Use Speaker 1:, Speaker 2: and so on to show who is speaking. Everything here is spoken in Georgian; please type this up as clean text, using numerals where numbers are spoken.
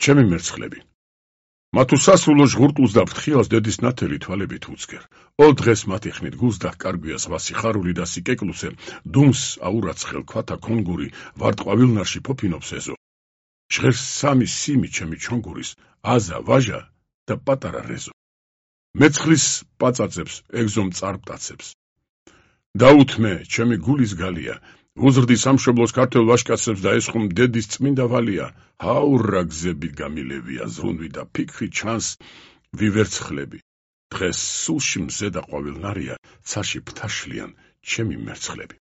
Speaker 1: ჩემი მერცხლები. მათუ სასულო ჟღურტულს და ფრთხილას დედის ნათელი თვალებით უცგერ. ოლ დღეს მათი ხმით გულს და კარგვია სხვა სიხარული და სიკეკლუსე, დუმს აურაცხელ ქვათა კონგური, ვარტყვავილნარში ფოფინობს ეზო. ჟღერს სამი სიმი ჩემი ჩონგურის, აზა, ვაჟა და პატარა რეზო. მეცხლის პაწაწებს, ეგზომ წარპტაცებს. დაუთმე, ჩემი გულის გალია, უზრდი სამშობლოს ქართველ ვაჟკაცებს და ესხუმ დედის წმინდა ვალია, ჰაურა გზები გამილევია, ზრუნვი და ფიქრი ჩანს ვივერცხლები. დღეს სულში მზე და ყვავილნარია, ცაში ფთაშლიან ჩემი მერცხლები.